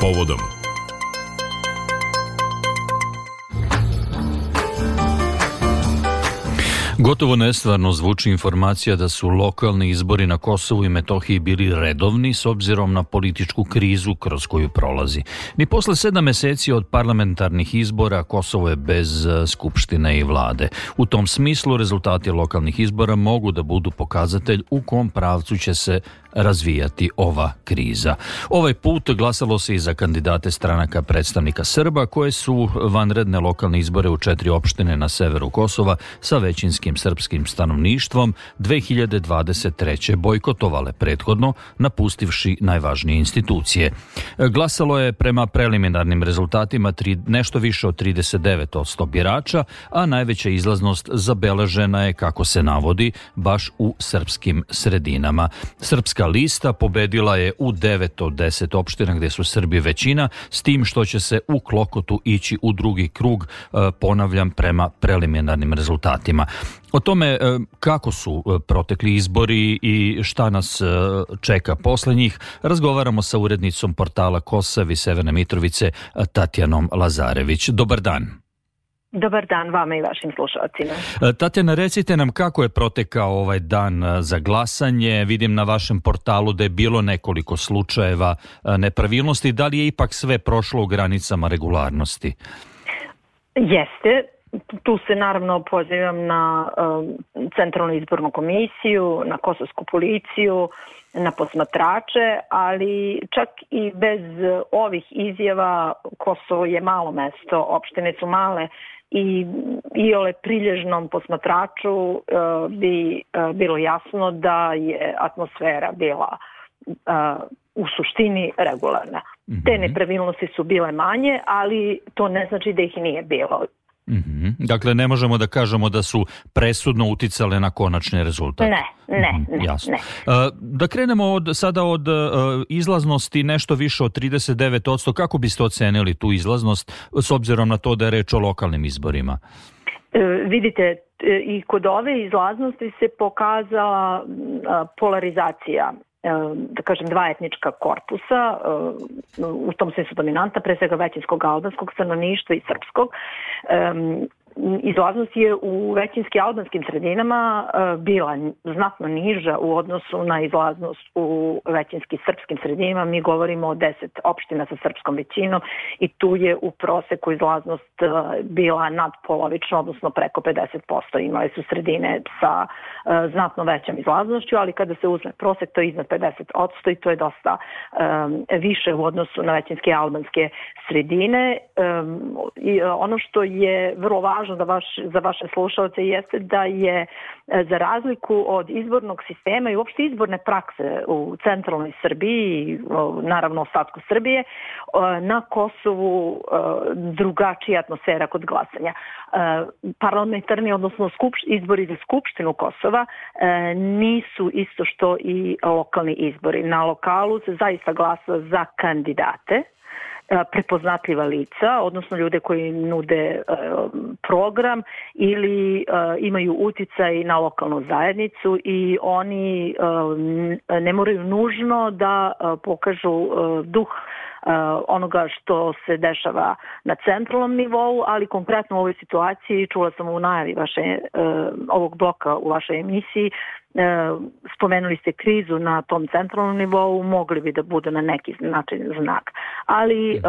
povodom. Gotovo nestvarno zvuči informacija da su lokalni izbori na Kosovu i Metohiji bili redovni s obzirom na političku krizu kroz koju prolazi. Ni posle 7 meseci od parlamentarnih izbora Kosovo je bez skupštine i vlade. U tom smislu rezultati lokalnih izbora mogu da budu pokazatelj u kom pravcu će se razvijati ova kriza. Ovaj put glasalo se i za kandidate stranaka predstavnika Srba koje su vanredne lokalne izbore u 4 opštine na severu Kosova sa većinskim srpskim stanovništvom 2023. bojkotovale prethodno, napustivši najvažnije institucije. Glasalo je prema preliminarnim rezultatima nešto više od 39% birača, a najveća izlaznost zabeležena je, kako se navodi, baš u srpskim sredinama. Srpska lista pobedila je u 9 od 10 opština gdje su Srbi većina, s tim što će se u Klokotu ići u drugi krug, ponavljam, prema preliminarnim rezultatima. O tome kako su protekli izbori i šta nas čeka posle njih razgovaramo sa urednicom portala Kosav i Severne Mitrovice Tatjanom Lazarević. Dobar dan. Dobar dan vama i vašim slušalcima. Tatjana, recite nam kako je protekao ovaj dan za glasanje. Vidim na vašem portalu da je bilo nekoliko slučajeva nepravilnosti. Da li je ipak sve prošlo u granicama regularnosti? Jeste. Tu se naravno pozivam na Centralnu izbornu komisiju, na kosovsku policiju, na posmatrače, ali čak i bez ovih izjava Kosovo je malo mesto, opštine su male i iole prilježnom posmatraču bi bilo jasno da je atmosfera bila u suštini regularna. Te nepravilnosti su bile manje, ali to ne znači da ih nije bilo. Dakle, ne možemo da kažemo da su presudno uticale na konačni rezultat. Ne. Jasno. Da krenemo sada od izlaznosti nešto više od 39%. Kako biste ocenili tu izlaznost s obzirom na to da je reč o lokalnim izborima? Vidite, i kod ove izlaznosti se pokazala polarizacija, da kažem, dva etnička korpusa, u tom smislu dominanta, pre svega većinskog albanskog stanovništva i srpskog. Izlaznost je u većinski albanskim sredinama bila znatno niža u odnosu na izlaznost u većinski srpskim sredinama. Mi govorimo o 10 opština sa srpskom većinom i tu je u proseku izlaznost bila nadpolovična, odnosno preko 50%. Imali su sredine sa znatno većom izlaznošću, ali kada se uzme prosek, to je iznad 50% i to je dosta više u odnosu na većinske albanske sredine. Ono što je vrlo važno za vaše slušalce jeste da je za razliku od izbornog sistema i uopšte izborne prakse u centralnoj Srbiji i naravno ostatku Srbije, na Kosovu drugačija atmosfera kod glasanja. Parlamentarni, odnosno izbori za Skupštinu Kosova nisu isto što i lokalni izbori. Na lokalu se zaista glasa za kandidate, prepoznatljiva lica, odnosno ljude koji nude program ili imaju uticaj na lokalnu zajednicu i oni ne moraju nužno da pokažu duh onoga što se dešava na centralnom nivou, ali konkretno u ovoj situaciji, čula sam u najavi ovog bloka u vašoj emisiji, spomenuli ste krizu na tom centralnom nivou, mogli bi da budu na neki način znak. Ali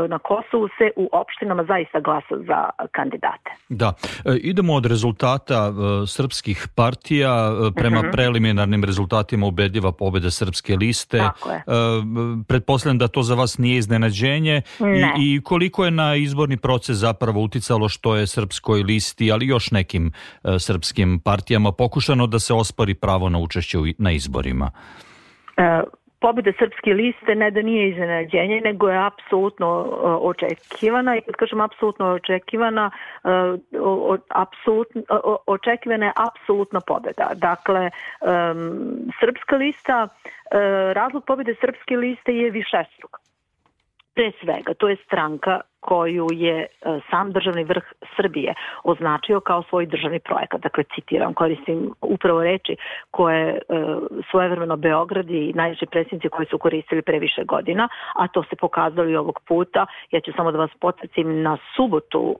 na Kosovu se u opštinama zaista glasa za kandidate. Da. Idemo od rezultata srpskih partija prema preliminarnim rezultatima ubedljiva pobjeda Srpske liste. Pretpostavljam da to za vas nije iznenađenje. I koliko je na izborni proces zapravo uticalo što je Srpskoj listi, ali još nekim srpskim partijama pokušano da se ospori pravo na učešće na izborima? Pobjeda Srpske liste ne da nije iznenađenje, nego je apsolutno očekivana. I kad kažem apsolutno očekivana, očekivana je apsolutna pobjeda. Dakle, Srpska lista, razlog pobjede Srpske liste je višestruk. Pre svega, to je stranka koju je sam državni vrh Srbije označio kao svoj državni projekat. Dakle, citiram, koristim upravo reči koje svojevremeno Beograd i najviši predsjednici koji su koristili pre više godina, a to se pokazalo i ovog puta. Ja ću samo da vas podsjetim na subotu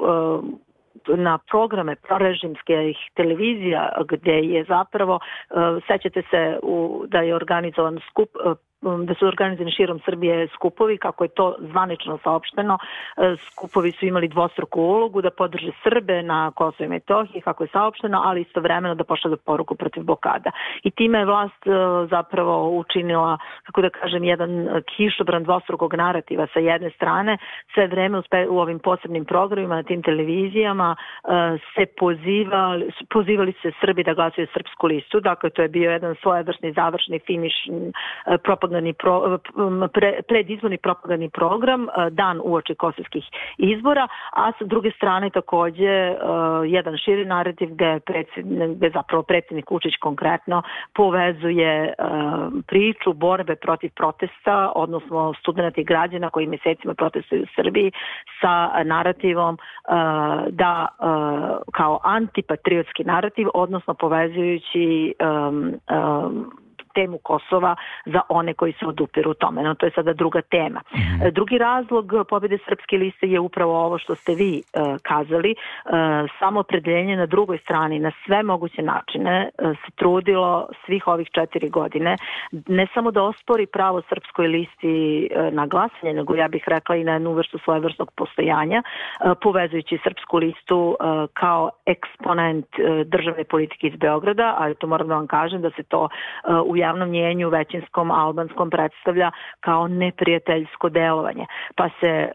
na programe prorežimskih televizija gdje je zapravo, sećate se da je organizovan skup, da su organizovani širom Srbije skupovi, kako je to zvanično saopšteno. Skupovi su imali dvostruku ulogu da podrže Srbe na Kosovu i Metohiji, kako je saopšteno, ali istovremeno da pošalju poruku protiv blokada. I time je vlast zapravo učinila, kako da kažem, jedan kišobran dvostrukog narativa. Sa jedne strane, sve vreme u ovim posebnim programima na tim televizijama se pozivali se Srbi da glasaju Srpsku listu. Dakle, to je bio jedan svojevrsni završni finiš predizborni propagandni program dan uoči kosovskih izbora, a sa druge strane takođe jedan širi narativ gde zapravo predsjednik Vučić konkretno povezuje priču borbe protiv protesta, odnosno studenta i građana koji mesecima protestuju u Srbiji sa narativom da kao antipatriotski narativ, odnosno povezujući temu Kosova za one koji se odupiru tome. No, to je sada druga tema. Drugi razlog pobjede Srpske liste je upravo ovo što ste vi kazali. Samoopredeljenje na drugoj strani na sve moguće načine se trudilo svih ovih 4 godine ne samo da ospori pravo Srpskoj listi na glasanje, nego ja bih rekla i na jednu vrstu svojevrsnog postojanja, povezujući Srpsku listu kao eksponent državne politike iz Beograda, ali to moram da vam kažem da se to u javnom mnjenju većinskom albanskom predstavlja kao neprijateljsko delovanje. Pa se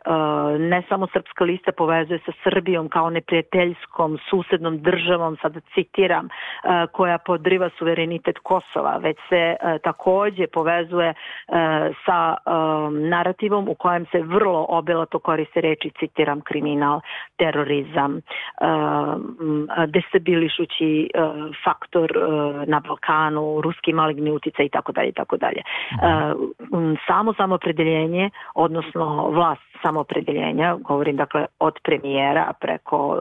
ne samo Srpska lista povezuje sa Srbijom kao neprijateljskom susednom državom, sad citiram, koja podriva suverenitet Kosova, već se takođe povezuje sa narativom u kojem se vrlo obilato koriste reči, citiram, kriminal, terorizam, destabilišući faktor na Balkanu, ruski maligni uticaj i tako dalje i tako dalje. Samoopredeljenje, odnosno vlast samoopredeljenja, govorim dakle od premijera preko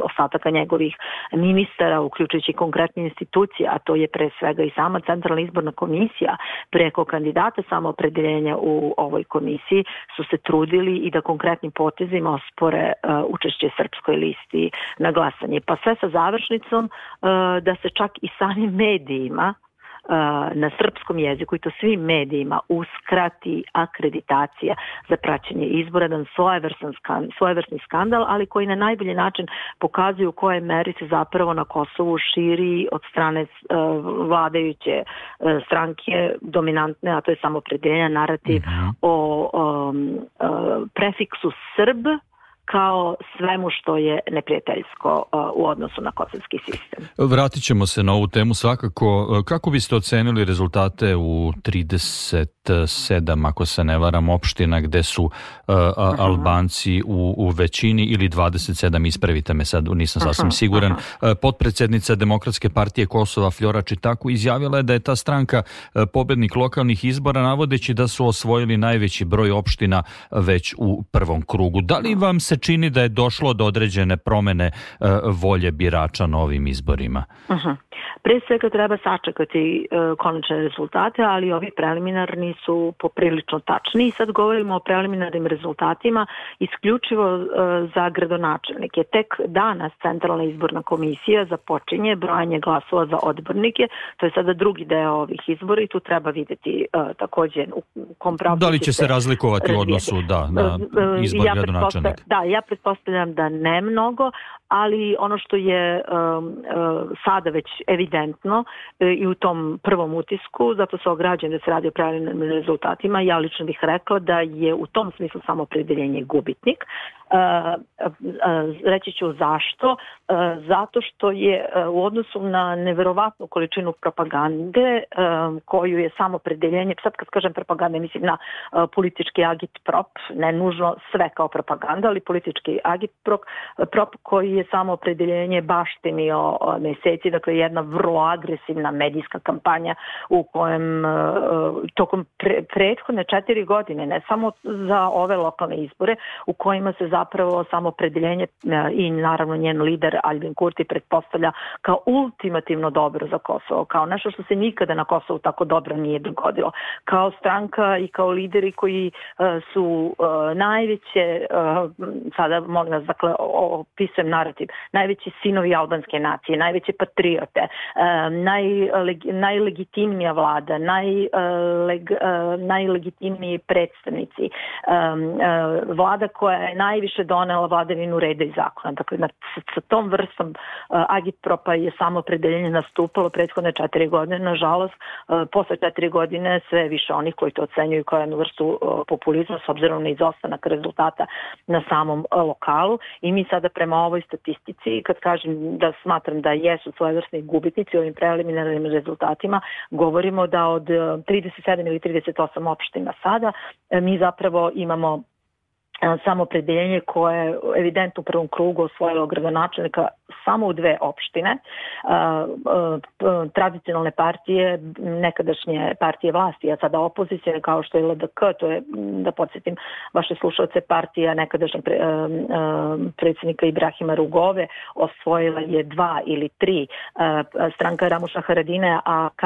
ostataka njegovih ministara, uključujući konkretne institucije, a to je pre svega i sama Centralna izborna komisija, preko kandidata samoopredeljenja u ovoj komisiji su se trudili i da konkretnim potezima ospore učešće Srpskoj listi na glasanje. Pa sve sa završnicom da se čak i samim medijima na srpskom jeziku i to svim medijima uskrati akreditacija za praćenje izbora, jedan svojevrsni skandal, ali koji na najbolji način pokazuju u kojoj meri se zapravo na Kosovu širi od strane vladajuće stranke dominantne, a to je samoopredeljenja narativ o prefiksu Srb kao svemu što je neprijateljsko u odnosu na kosovski sistem. Vratit ćemo se na ovu temu svakako. Kako biste ocenili rezultate u 37, ako se ne varam, opština gde su Albanci u većini ili 27, ispravite me sad, nisam sasvim siguran. Potpredsjednica Demokratske partije Kosova Flora Čitaku izjavila je da je ta stranka pobednik lokalnih izbora, navodeći da su osvojili najveći broj opština već u prvom krugu. Da li vam se čini da je došlo do određene promene volje birača na ovim izborima? Pre svega treba sačekati konačne rezultate, ali ovi preliminarni su poprilično tačni. I sad govorimo o preliminarnim rezultatima isključivo za gradonačelnike. Tek danas Centralna izborna komisija započinje brojanje glasova za odbornike. To je sada drugi deo ovih izbora i tu treba vidjeti takođe u kom pravcu da li će se razlikovati u odnosu na izbor gradonačelnika? Da, ja pretpostavljam da ne mnogo, ali ono što je sada već evidentno i u tom prvom utisku, zato se ograđujem da se radi o preliminarnim rezultatima, ja lično bih rekla da je u tom smislu samoopredeljenje gubitnik. Reći ću zašto. Zato što je u odnosu na neverovatnu količinu propagande koju je samoopredeljenje, sad kad kažem propaganda mislim na politički agitprop, ne nužno sve kao propaganda, ali politički agitprop koji je samo opredeljenje baštinio meseci, dakle jedna vrlo agresivna medijska kampanja u kojem tokom prethodne 4 godine, ne samo za ove lokalne izbore, u kojima se zapravo samo opredeljenje i naravno njen lider Albin Kurti pretpostavlja kao ultimativno dobro za Kosovo, kao nešto što se nikada na Kosovu tako dobro nije dogodilo. Kao stranka i kao lideri koji su najveće, sada molim vas, dakle opisujem narativ, najveći sinovi albanske nacije, najveće patriote, najlegitimnija vlada, najlegitimniji predstavnici, vlada koja je najviše donela vladavinu reda i zakona. Dakle, sa tom vrstom agitpropa je samo opredeljenje nastupalo prethodne 4 godine. Nažalost, posle 4 godine sve više onih koji to ocenjuju kao jednu vrstu populizma s obzirom na izostanak rezultata na samom lokalu. I mi sada prema ovoj statistici, kad kažem da smatram da jesu svojevrsni gubitnici ovim preliminarnim rezultatima, govorimo da od 37 ili 38 opština sada mi zapravo imamo samoopredeljenje koje je evidentno u prvom krugu osvojilo gradonačelnika samo u 2 opštine. Tradicionalne partije, nekadašnje partije vlasti, a sada opozicije kao što je LDK, to je, da podsjetim vaše slušalce, partija nekadašnjeg predsjednika Ibrahima Rugove, osvojila je 2 ili 3. Stranka Ramuša Haradine AK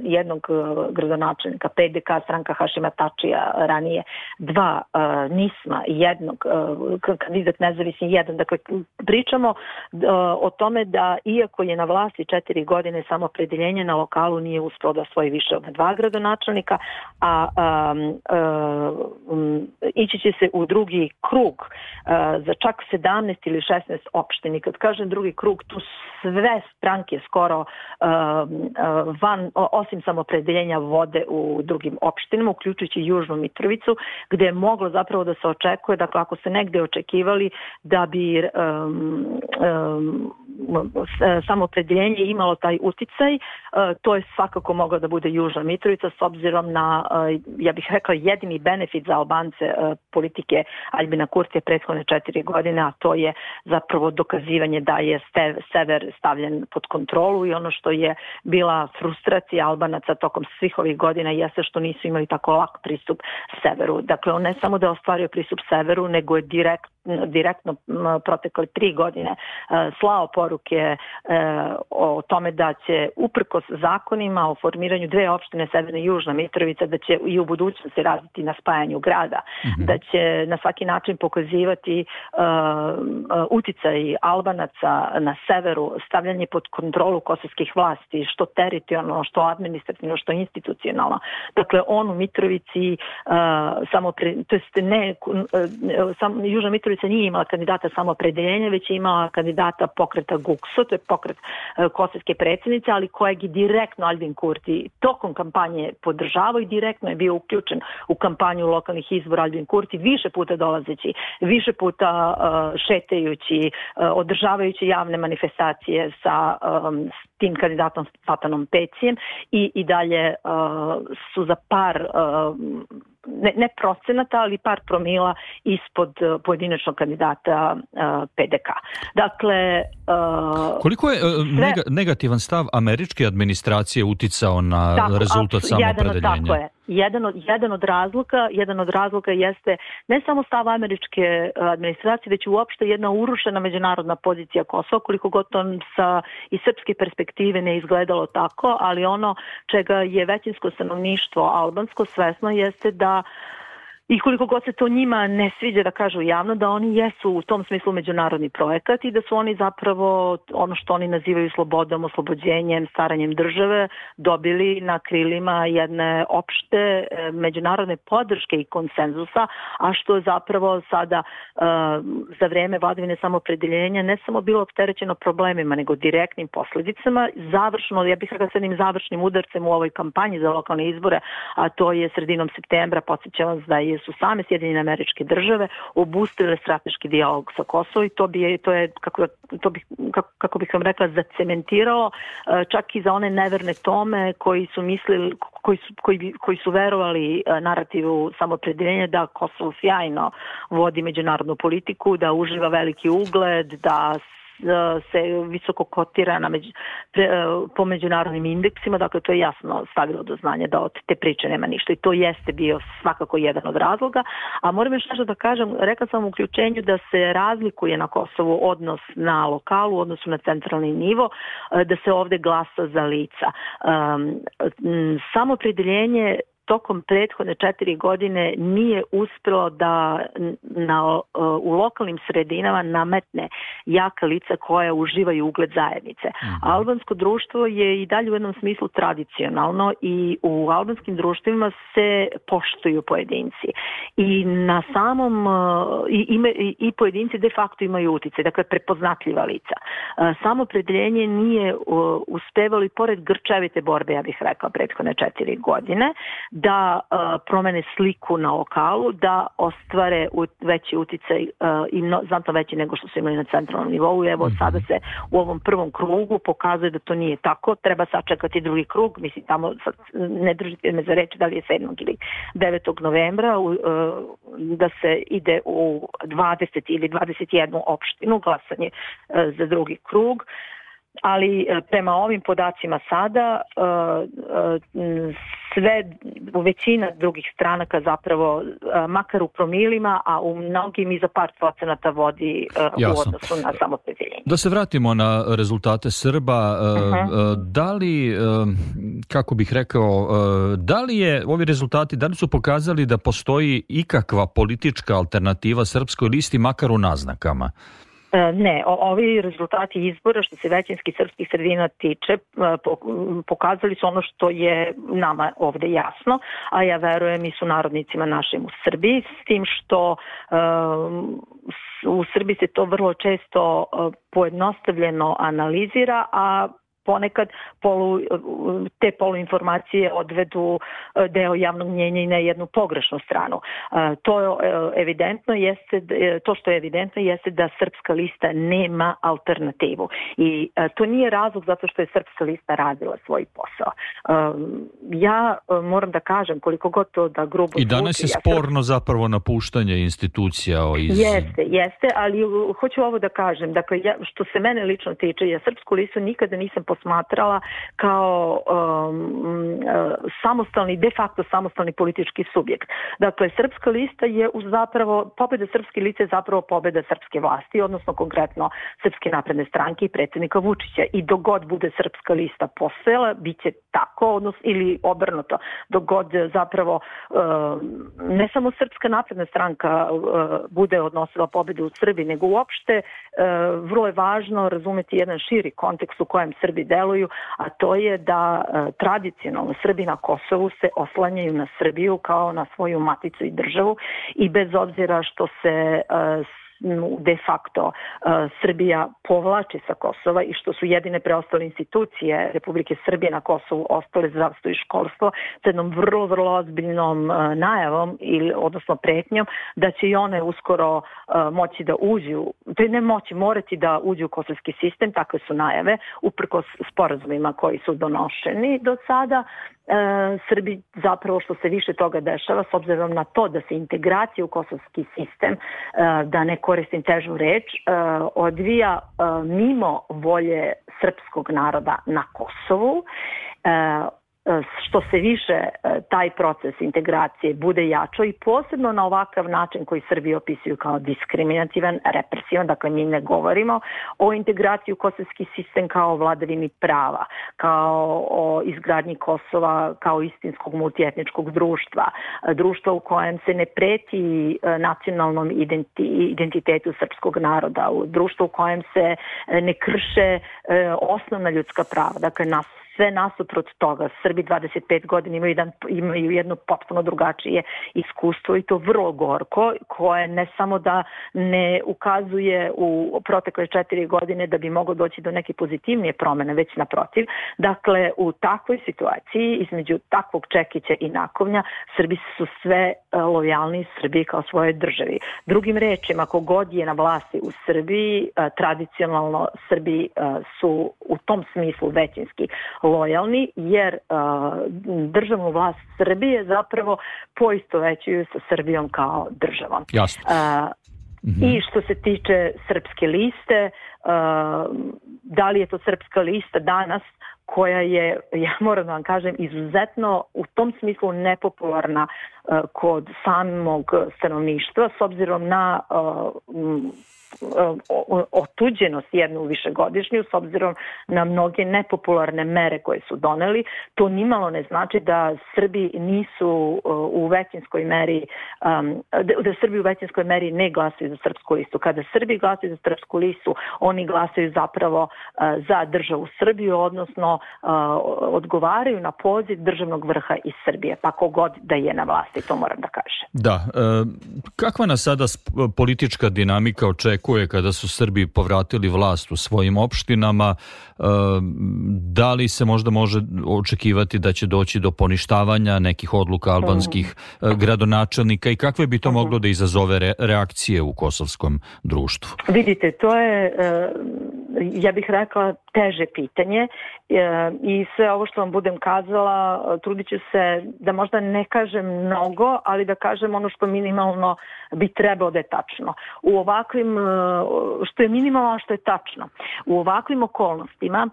jednog gradonačelnika, PDK, stranka Hašima Tačija ranije 2, NISMA jednog, kandidat nezavisni 1. Dakle, pričamo o tome da iako je na vlasti 4 godine samoopredeljenje na lokalu nije uspeo da osvoji više od 2 gradonačelnika, a ići će se u drugi krug za čak 17 ili 16 opštini. Kad kažem drugi krug, tu sve stranke skoro osim samoopredeljenja vode u drugim opštinama, uključujući Južnu Mitrovicu, gde je moglo zapravo da se očekuje, dakle ako se negde očekivali da bi samoopredeljenje imalo taj uticaj, to je svakako mogla da bude Južna Mitrovica s obzirom na, ja bih rekla, jedini benefit za Albance politike Albina Kurtija prethodne 4 godine, a to je zapravo dokazivanje da je sever stavljen pod kontrolu i ono što je bila frustracija Albanaca tokom svih ovih godina jeste što nisu imali tako lak pristup severu. Dakle, on ne samo da je ostvario pristup severu, nego je direktno protekle 3 godine slao poruke o tome da će uprkos zakonima o formiranju 2 opštine Severna i Južna Mitrovica, da će i u budućnosti raditi na spajanju grada, da će na svaki način pokazivati uticaj Albanaca na severu, stavljanje pod kontrolu kosovskih vlasti, što teritorijalno, što administrativno, što institucionalno. Dakle, on u Mitrovici Južna Mitrovica nije imala kandidata samoopredeljenja, već je imala kandidata pokreta GUKSO, to je pokret kosovske predsjednice, ali kojeg je direktno Albin Kurti tokom kampanje podržavao i direktno je bio uključen u kampanju lokalnih izbora Albin Kurti, više puta dolazeći, više puta šetajući, održavajući javne manifestacije sa tim kandidatom Fatanom Pecijem i dalje su za par ne procenata, ali par promila ispod pojedinačnog kandidata PDK. Dakle, koliko je negativan stav američke administracije uticao na rezultat samoopredeljenja? Tako je. Jedan od razloga jeste ne samo stav američke administracije, već uopšte jedna urušena međunarodna pozicija Kosova, koliko god to iz srpske perspektive ne izgledalo tako, ali ono čega je većinsko stanovništvo albansko svesno jeste da i koliko god se to njima ne sviđa da kažu javno, da oni jesu u tom smislu međunarodni projekat i da su oni zapravo ono što oni nazivaju slobodom, oslobođenjem, staranjem države dobili na krilima jedne opšte međunarodne podrške i konsenzusa, a što je zapravo sada za vreme vladavine samoopredeljenja ne samo bilo opterećeno problemima, nego direktnim posljedicama. Završno, ja bih rekla s jednim završnim udarcem u ovoj kampanji za lokalne izbore, a to je sredinom septembra, podsjećam vas da je su same Sjedinjene Američke Države obustavile strateški dijalog sa Kosovom i to je kako bih vam rekla, zacementiralo čak i za one neverne Tome koji su mislili, koji su verovali narativu samoopredjeljenja da Kosovo sjajno vodi međunarodnu politiku, da uživa veliki ugled, da se visoko kotira po međunarodnim indeksima, dakle to je jasno stavilo do znanja da od te priče nema ništa i to jeste bio svakako jedan od razloga, a moram još nešto da kažem, rekla sam u uključenju da se razlikuje na Kosovu odnos na lokalu, u odnosu na centralni nivo, da se ovde glasa za lica. Samoopredjeljenje tokom prethodne 4 godine nije uspjelo da u lokalnim sredinama nametne jaka lica koja uživaju ugled zajednice. Albansko društvo je i dalje u jednom smislu tradicionalno i u albanskim društvima se poštuju pojedinci i na samom i pojedinci de facto imaju utjecaj, dakle prepoznatljiva lica. Samoopredjeljenje nije uspevalo i pored grčevite borbe, ja bih rekla, prethodne 4 godine, da promene sliku na lokalu, da ostvare veći utjecaj i znatno veći nego što su imali na centralnom nivou. Evo sada se u ovom prvom krugu pokazuje da to nije tako. Treba sačekati drugi krug. Mislim, tamo ne držite me za reč da li je 7. ili 9. novembra da se ide u 20 ili 21 opštinu glasanje za drugi krug. Ali prema ovim podacima sada većina drugih stranaka zapravo makar u promilima, a u mnogim i za par procenata vodi u odnosu na samoopredjeljenje. Da se vratimo na rezultate Srba, da li, kako bih rekao, da li je ovi rezultati, da li su pokazali da postoji ikakva politička alternativa srpskoj listi, makar u naznakama? Ne, ovi rezultati izbora što se većinskih srpskih sredina tiče pokazali su ono što je nama ovde jasno, a ja verujem i sunarodnicima našim u Srbiji, s tim što u Srbiji se to vrlo često pojednostavljeno analizira, a ponekad te poluinformacije odvedu deo javnog mnjenja i na jednu pogrešnu stranu. To što je evidentno jeste da Srpska lista nema alternativu. I to nije razlog zato što je Srpska lista radila svoj posao. Ja moram da kažem, koliko god to da grubo zvuči... I danas je sporno zapravo napuštanje institucija Jeste, ali hoću ovo da kažem. Dakle, što se mene lično tiče, ja Srpsku listu nikada nisam posmatrala kao de facto samostalni politički subjekt. Dakle, Srpska lista je zapravo, pobjeda Srpske liste je zapravo pobjeda srpske vlasti, odnosno konkretno Srpske napredne stranke i predsjednika Vučića. I dok god bude Srpska lista postojala, bit će tako, odnosno, ili obrnuto. Dok god zapravo ne samo Srpska napredna stranka bude odnosila pobjedu u Srbiji, nego uopšte vrlo je važno razumjeti jedan širi kontekst u kojem Srbi deluju, a to je da tradicionalno Srbi na Kosovu se oslanjaju na Srbiju kao na svoju maticu i državu i bez obzira što se de facto Srbija povlači sa Kosova i što su jedine preostale institucije Republike Srbije na Kosovu ostale zdravstvo i školstvo sa jednom vrlo, vrlo ozbiljnom najavom odnosno pretnjom da će i one uskoro moći da uđu, to je ne moći, morati da uđu u kosovski sistem, takve su najave, uprkos sporazumima koji su donošeni do sada. Srbi zapravo što se više toga dešava s obzirom na to da se integracija u kosovski sistem, da ne koristim težu reč, odvija mimo volje srpskog naroda na Kosovu. Što se više taj proces integracije bude jačao i posebno na ovakav način koji Srbi opisuju kao diskriminativan, represivan, dakle mi ne govorimo o integraciji u kosovski sistem kao vladavini prava, kao o izgradnji Kosova kao istinskog multietničkog društva u kojem se ne preti nacionalnom identitetu srpskog naroda, društvo u kojem se ne krše osnovna ljudska prava, dakle nas sve nasuprot toga. Srbi 25 godina imaju jedno potpuno drugačije iskustvo i to vrlo gorko, koje ne samo da ne ukazuje u protekle 4 godine da bi moglo doći do neke pozitivnije promene, već naprotiv. Dakle, u takvoj situaciji, između takvog čekića i nakovnja, Srbi su sve lojalni Srbiji kao svojoj državi. Drugim rečima, ako god je na vlasti u Srbiji, tradicionalno Srbi su u tom smislu većinski lojalni, jer državnu vlast Srbije zapravo poistovećuju sa Srbijom kao državom. Jasno. I što se tiče Srpske liste, da li je to Srpska lista danas, koja je, ja moram da vam kažem, izuzetno u tom smislu nepopularna kod samog stanovništva, s obzirom na otuđenost jednu višegodišnju, s obzirom na mnoge nepopularne mere koje su doneli. To nimalo ne znači da Srbi nisu u većinskoj meri, da Srbi u većinskoj meri ne glasaju za Srpsku listu. Kada Srbi glasaju za Srpsku listu, oni glasaju zapravo za državu Srbiju, odnosno odgovaraju na poziv državnog vrha iz Srbije, pa kogod da je na vlasti, to moram da kažem. Da. Kakva nas sada politička dinamika očekuje kada su Srbi povratili vlast u svojim opštinama? Da li se možda može očekivati da će doći do poništavanja nekih odluka albanskih gradonačelnika i kakve bi to moglo da izazove reakcije u kosovskom društvu? Vidite, to je, ja bih rekla, teže pitanje i sve ovo što vam budem kazala, trudit ću se da možda ne kažem mnogo, ali da kažem ono što minimalno bi trebalo da je tačno. U ovakvim, što je minimalno, a što je tačno. U ovakvim okolnostima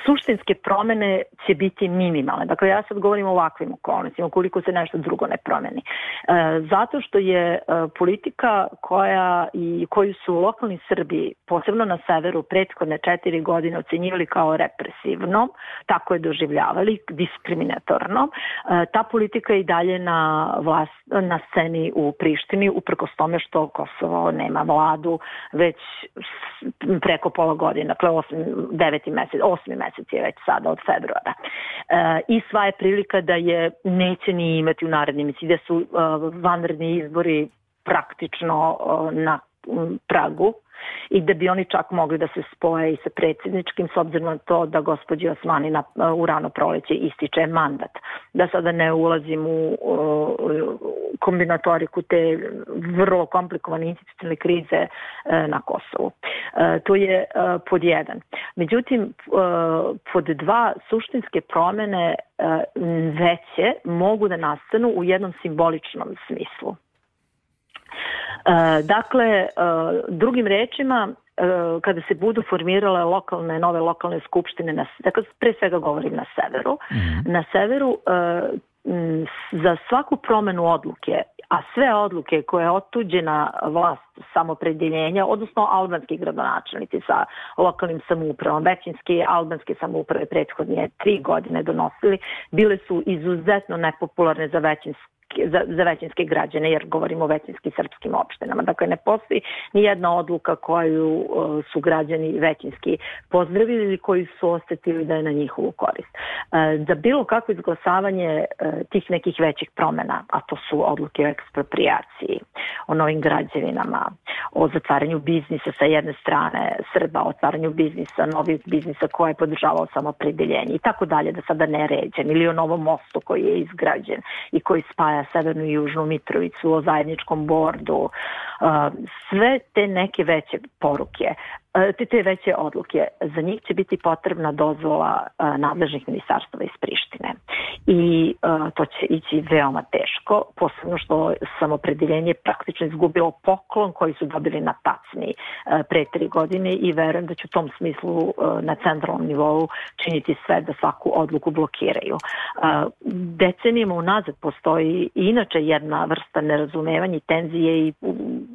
suštinske promene će biti minimalne. Dakle, ja sad govorim o ovakvim okolnostima, ukoliko se nešto drugo ne promeni. Zato što je politika koju su lokalni Srbi, posebno na severu, prethodne 4 godine ocenjivali kao represivnom, tako je doživljavali, diskriminatornom. Ta politika je i dalje na sceni u Prištini, uprkos tome što Kosovo nema vladu već preko pola godine, dakle 8. mesec je već sada od februara. I sva je prilika da je neće ni imati u narednim mesecima, da su vanredni izbori praktično na pragu i da bi oni čak mogli da se spoje i sa predsjedničkim, s obzirom na to da gospođi Osmani u rano proleće ističe mandat. Da sada ne ulazim u kombinatoriku te vrlo komplikovane institucionalne krize na Kosovu. To je pod 1. Međutim, pod 2, suštinske promene veće mogu da nastanu u jednom simboličnom smislu. Dakle, drugim rečima, kada se budu formirale nove lokalne skupštine, dakle, pre svega govorim na severu, na severu za svaku promenu odluke, a sve odluke koje je otuđena vlast samopredjeljenja, odnosno albanski gradonačelnici sa lokalnim samoupravom, većinski albanske samouprave prethodnije 3 godine donosili, bile su izuzetno nepopularne za većinske građane, jer govorimo o većinskim srpskim opštinama. Dakle, ne postoji ni jedna odluka koju su građani većinski pozdravili ili koji su osetili da je na njihovu korist. Za bilo kakvo izglasavanje tih nekih većih promjena, a to su odluke o eksproprijaciji, o novim građevinama, o zatvaranju biznisa sa jedne strane Srba, o otvaranju biznisa, novih biznisa koje je podržavao samopredeljenje i tako dalje, da sada ne ređem, ili o novom mostu koji je izgrađen i koji spaja Severnu i Južnu Mitrovicu, o zajedničkom bordu, sve te neke veće poruke, te veće odluke, za njih će biti potrebna dozvola nadležnih ministarstava iz Prištine. I to će ići veoma teško, posebno što samopredeljenje praktično izgubilo poklon koji su dobili na tacni pre 3 godine i verujem da će u tom smislu na centralnom nivou činiti sve da svaku odluku blokiraju. Decenijama unazad postoji inače jedna vrsta nerazumevanja i tenzije i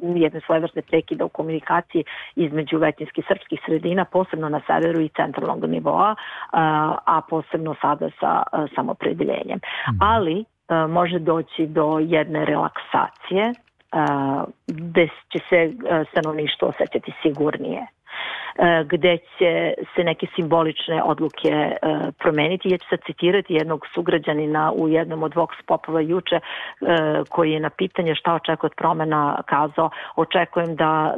jedne svojevrsne prekida u komunikaciji između većinskih srpskih sredina, posebno na severu i centralnog nivoa, a posebno sada sa samopredeljenjem. Ali može doći do jedne relaksacije gde će se stanovništvo osjećati sigurnije. gde će se neke simbolične odluke promeniti. Ja ću sad citirati jednog sugrađanina u jednom od Vox Popova juče, koji je na pitanje šta očekuje od promena kazao: očekujem da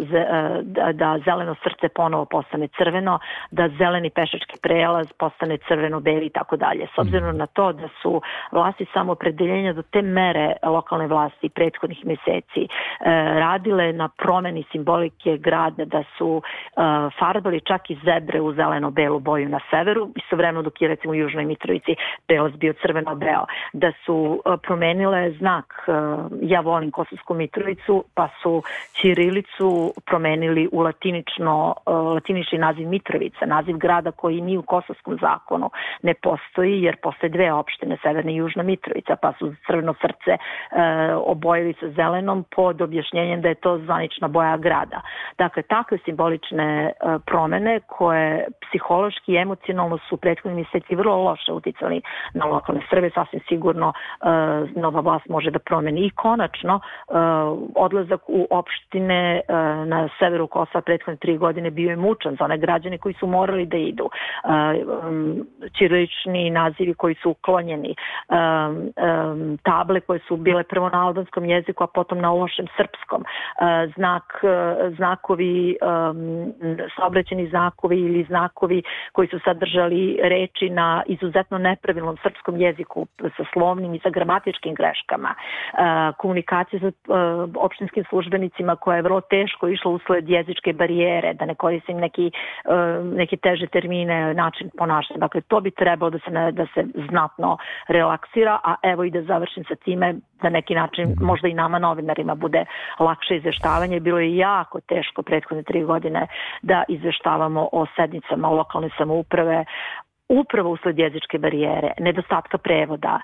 zeleno srce ponovo postane crveno, da zeleni pešački prelaz postane crveno-beli i tako dalje. S obzirom na to da su vlasti samoopredeljenja do te mere lokalne vlasti prethodnih meseci radile na promeni simbolike grada, da su farbali čak i zebre u zeleno-belu boju na severu, istovremeno dok je recimo u Južnoj Mitrovici prelaz bio crveno-beo, da su promenile znak ja volim Kosovsku Mitrovicu, pa su ćirilicu promenili u latinični naziv Mitrovica, naziv grada koji ni u kosovskom zakonu ne postoji, jer postoje dve opštine, Severna i Južna Mitrovica, pa su crveno srce obojili sa zelenom pod objašnjenjem da je to zvanična boja grada. Dakle, takve simbolične promene koje psihološki i emocionalno su prethodni mjeseci vrlo loše uticali na lokalne Srbe, sasvim sigurno nova vlast može da promeni. I konačno, odlazak u opštine na severu Kosova prethodne 3 godine bio je mučan za one građane koji su morali da idu. Ćirilični nazivi koji su uklonjeni, table koje su bile prvo na albanskom jeziku, a potom na lošem srpskom, znakovi, saobraćajni znakovi ili znakovi koji su sadržali reči na izuzetno nepravilnom srpskom jeziku sa slovnim i sa gramatičkim greškama, komunikacija sa opštinskim službenicima koja je vrlo teško išla usled jezičke barijere, da ne koristim neke teže termine, način ponašanja. Dakle, to bi trebalo da se znatno relaksira, a evo i da završim sa time, da neki način možda i nama novinarima bude lakše izveštavanje. Bilo je jako teško prethodne 3 godine da izveštavamo o sednicama lokalne samouprave, upravo usled jezičke barijere, nedostatka prevoda,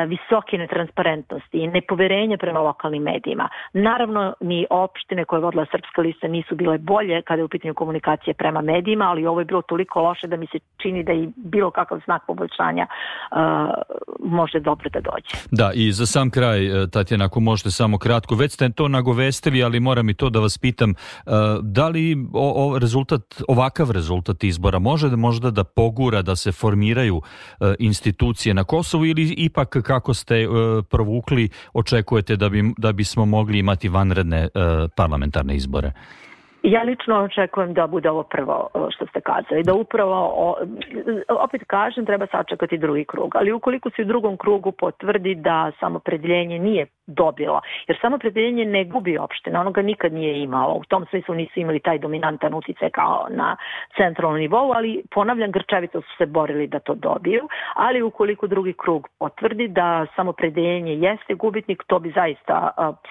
visoke netransparentnosti i nepoverenja prema lokalnim medijima. Naravno, ni opštine koje je vodila Srpska lista nisu bile bolje kada je u pitanju komunikacije prema medijima, ali ovo je bilo toliko loše da mi se čini da i bilo kakav znak poboljšanja može dobro da dođe. Da, i za sam kraj, Tatjana, ako možete samo kratko, već ste to nagovestili, ali moram i to da vas pitam, da li ovakav rezultat izbora može možda da pogura da se formiraju institucije na Kosovu, ili ipak, kako ste provukli, očekujete da bismo mogli imati vanredne parlamentarne izbore? Ja lično očekujem da bude ovo prvo što ste kazali, da upravo, opet kažem, treba sačekati drugi krug, ali ukoliko se u drugom krugu potvrdi da samopredeljenje nije dobilo, jer samopredeljenje ne gubi opština, ono ga nikad nije imalo, u tom smislu nisu imali taj dominantan uticaj kao na centralnom nivou, ali ponavljam, grčevito su se borili da to dobiju, ali ukoliko drugi krug potvrdi da samopredeljenje jeste gubitnik, to bi zaista,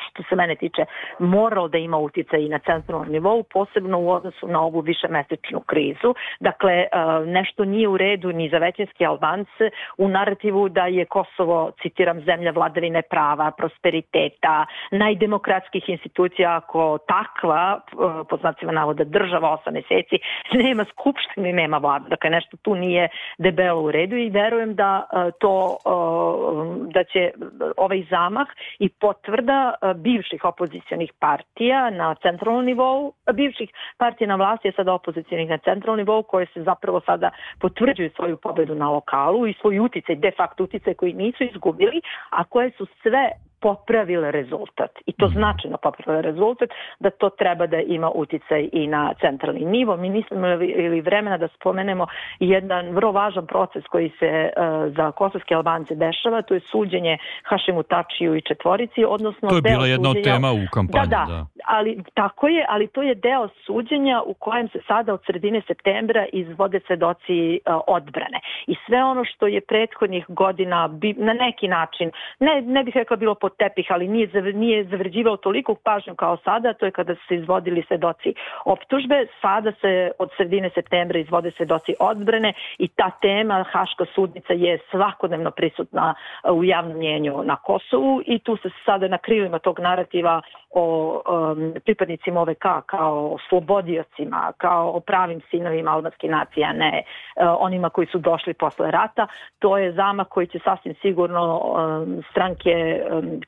što se mene tiče, moralo da ima uticaj i na centralnom nivou, posebno u odnosu na ovu višemesečnu krizu. Dakle, nešto nije u redu ni za većinske Albance u narativu da je Kosovo, citiram, zemlja vladavine prava, prosperiteta, najdemokratskih institucija, ako takva, po znacima navoda, država 8 meseci, nema skupštine i nema vlada. Dakle, nešto tu nije debelo u redu i verujem da će ovaj zamah i potvrda bivših opozicionih partija na centralnom nivou, bivših partija na vlasti, je sada opozicijonih na centralnom nivou, koje se zapravo sada potvrđuju svoju pobedu na lokalu i svoj uticaj, de facto uticaj koji nisu izgubili, a koje su sve popravile rezultat. I to značajno popravile rezultat, da to treba da ima uticaj i na centralni nivo. Mi nismo imali vremena da spomenemo jedan vrlo važan proces koji se za kosovske Albance dešava, to je suđenje Hašimu Tačiju i četvorici, odnosno to je bila jedna od tema u kampanji. Da. Ali tako je, ali to je deo suđenja u kojem se sada od sredine septembra izvode svedoci odbrane. I sve ono što je prethodnih godina na neki način, ne bih rekla bilo pod tepih, ali nije zavređivao toliko pažnju kao sada, to je kada su se izvodili svedoci optužbe. Sada se od sredine septembra izvode svedoci odbrane i ta tema, Haška sudnica, je svakodnevno prisutna u javnom mnjenju na Kosovu i tu se sada na krilima tog narativa o pripadnicima OVK kao slobodiocima, kao pravim sinovima albanske nacije, a ne onima koji su došli posle rata. To je zamah koji će sasvim sigurno stranke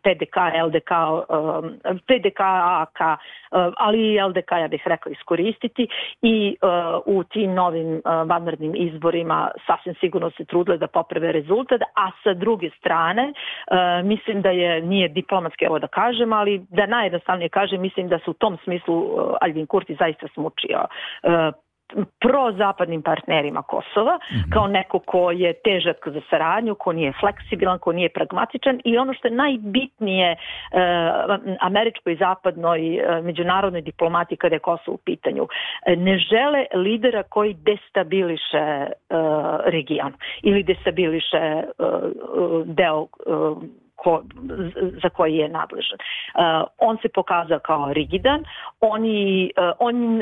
PDK, LDK, PDK, AK, ali i LDK, ja bih rekla, iskoristiti i u tim novim vanrednim izborima sasvim sigurno se trudile da poprave rezultat, a sa druge strane mislim da nije diplomatski ovo da kažem, ali da najjednostavnije kažem, mislim da se u tom smislu Aljbin Kurti zaista smučio prozapadnim partnerima Kosova, kao neko ko je težak za saradnju, ko nije fleksibilan, ko nije pragmatičan i ono što je najbitnije američkoj i zapadnoj međunarodnoj diplomati kada je Kosovo u pitanju. Ne žele lidera koji destabiliše region ili destabiliše deo za koji je nadležan. On se pokazao kao rigidan,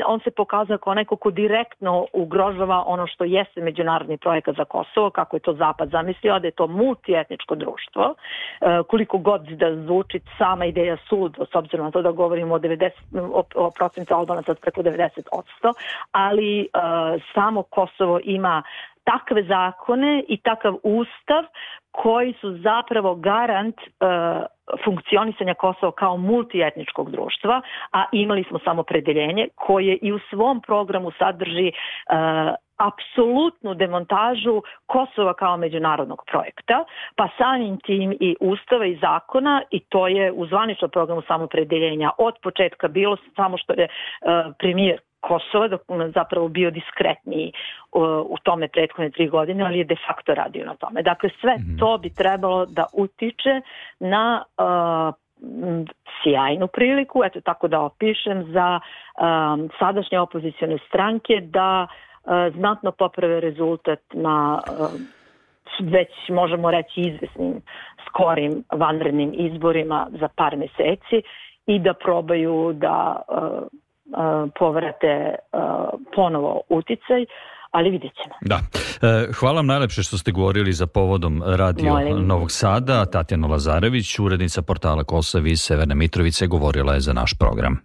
on se pokazao kao neko ko direktno ugrožava ono što jeste međunarodni projekat za Kosovo, kako je to Zapad zamislio, da je to multietničko društvo. Koliko god da zvuči sama ideja suludo, s obzirom na to da govorimo o procentu Albanaca od preko 90%, ali samo Kosovo ima takve zakone i takav ustav koji su zapravo garant funkcionisanja Kosova kao multietničkog društva, a imali smo samopredeljenje koje i u svom programu sadrži apsolutnu demontažu Kosova kao međunarodnog projekta, pa samim tim i ustava i zakona, i to je u zvaničnom programu samopredeljenja od početka bilo, samo što je premijer Kosova dok zapravo bio diskretniji u tome prethodne 3 godine, ali je de facto radio na tome. Dakle, sve to bi trebalo da utiče na sjajnu priliku, eto tako da opišem, za sadašnje opozicione stranke da znatno poprave rezultat na već možemo reći izvesnim skorim vanrednim izborima za par meseci i da probaju da povrate ponovo uticaj, ali vidjet ćemo. Da. Hvala vam najlepše što ste govorili za povodom Radio Novog Sada. Tatjana Lazarević, urednica portala Kosovo iz Severne Mitrovice, govorila je za naš program.